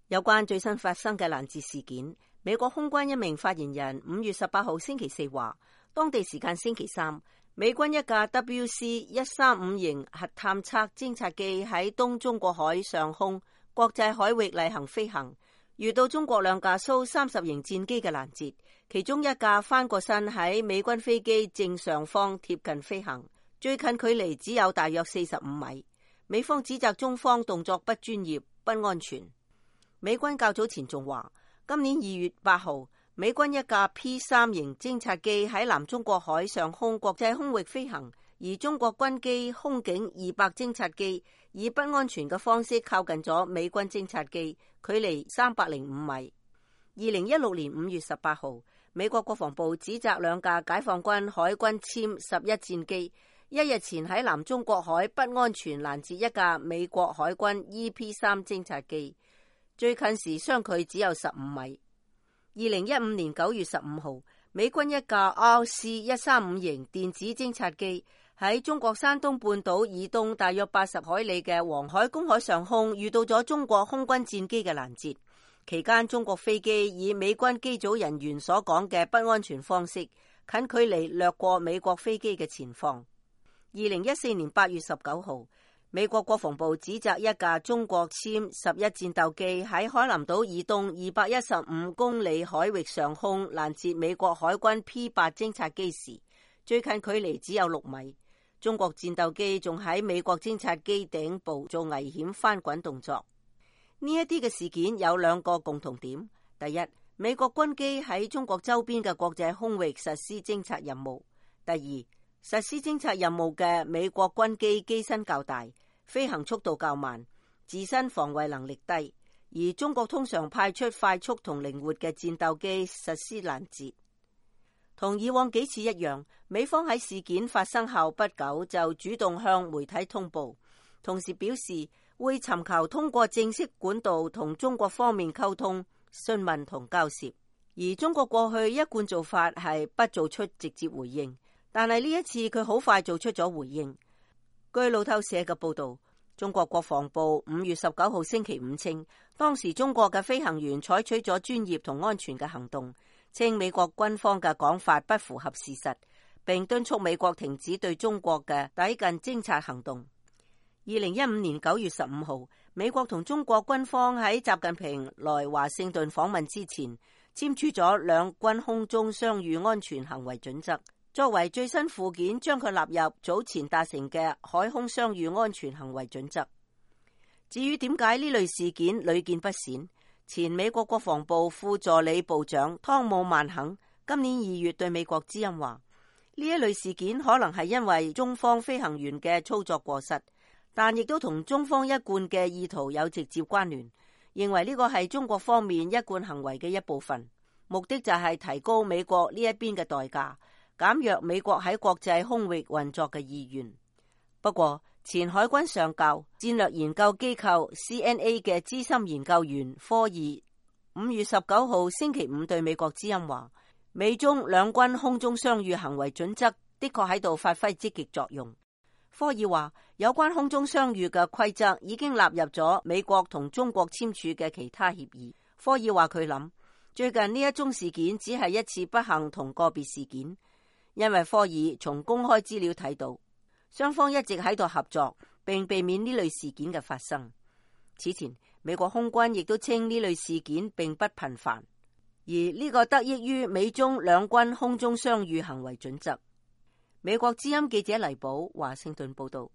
有關最新發生嘅攔截事件，美國空軍一名發言人5月18號星期四話，當地時間星期三，美軍一架 WC-135型核探測偵察機喺東中國海上空國際海域例行飛行，遇到中國兩架蘇30型戰機嘅攔截，其中一架翻過身喺美軍飛機正上方貼近飛行，最近距離只有大約45米。美方指責中方動作不專業、不安全。美軍較早前仲話，今年2月8號，美軍一架 P3 型偵察機喺南中國海上空國際空域飛行，而中國軍機空警200偵察機以不安全嘅方式靠近咗美軍偵察機，距離305米。2016年5月18號，美國國防部指責兩架解放軍海軍殲11戰機一日前喺南中國海不安全攔截一架美國海軍 EP3 偵察機，最近時相距只有15米。2015年9月15號，美軍一架 RC-135型電子偵察機喺中國山東半島以東大約80海里嘅黃海公海上空遇到咗中國空軍戰機嘅攔截，期間中國飛機以美軍機組人員所講嘅不安全方式，近距離掠過美國飛機嘅前方。2014年8月19號，美國國防部指責一架中國殲11戰鬥機喺海南島以東215公里海域上空攔截美國海軍 P8 偵察機時，最近距離只有6米。中國戰鬥機仲喺美國偵察機頂部做危險翻滾動作。呢一啲嘅事件有兩個共同點：第一，美國軍機喺中國周邊嘅國際空域實施偵察任務；第二，實施偵察任務嘅美國軍機機身較大，飛行速度較慢，自身防衛能力低，而中國通常派出快速同靈活嘅戰鬥機實施攔截。同以往幾次一樣，美方喺事件發生後不久就主動向媒體通報，同時表示會尋求通過正式管道同中國方面溝通、詢問同交涉。而中國過去一貫做法係不做出直接回應，但係呢一次佢好快做出咗回應。據路透社嘅報道，中國國防部5月19號星期五稱，當時中國嘅飛行員採取咗專業同安全嘅行動，稱美國軍方嘅講法不符合事實，並敦促美國停止對中國嘅抵近偵察行動。2015年9月15號，美國同中國軍方喺習近平來華盛頓訪問之前，簽署咗兩軍空中相遇安全行為準則，作為最新附件，將佢納入早前達成嘅海空相遇安全行為準則。至於點解呢類事件屢見不鮮，前美國國防部副助理部長湯姆曼肯今年2月對美國之音話，呢一類事件可能係因為中方飛行員嘅操作過失，但亦都同中方一貫嘅意圖有直接關聯，認為呢個係中國方面一貫行為嘅一部分，目的就係提高美國呢一邊嘅代價，減弱美國喺國際空域運作嘅意願。不過，前海軍上校、戰略研究機構 CNA 嘅資深研究員科爾5月19號星期五對美國之音話，美中兩軍空中相遇行為準則的確喺度發揮積極作用。科爾話，有關空中相遇嘅規則已經納入咗美國同中國簽署嘅其他協議。科爾話佢諗，最近呢一宗事件只係一次不幸同個別事件，因為科爾從公開資料睇到，雙方一直喺度合作，並避免呢類事件嘅發生。此前，美國空軍亦都稱呢類事件並不頻繁，而呢個得益於美中兩軍空中相遇行為準則。美國之音記者黎寶華盛頓報道。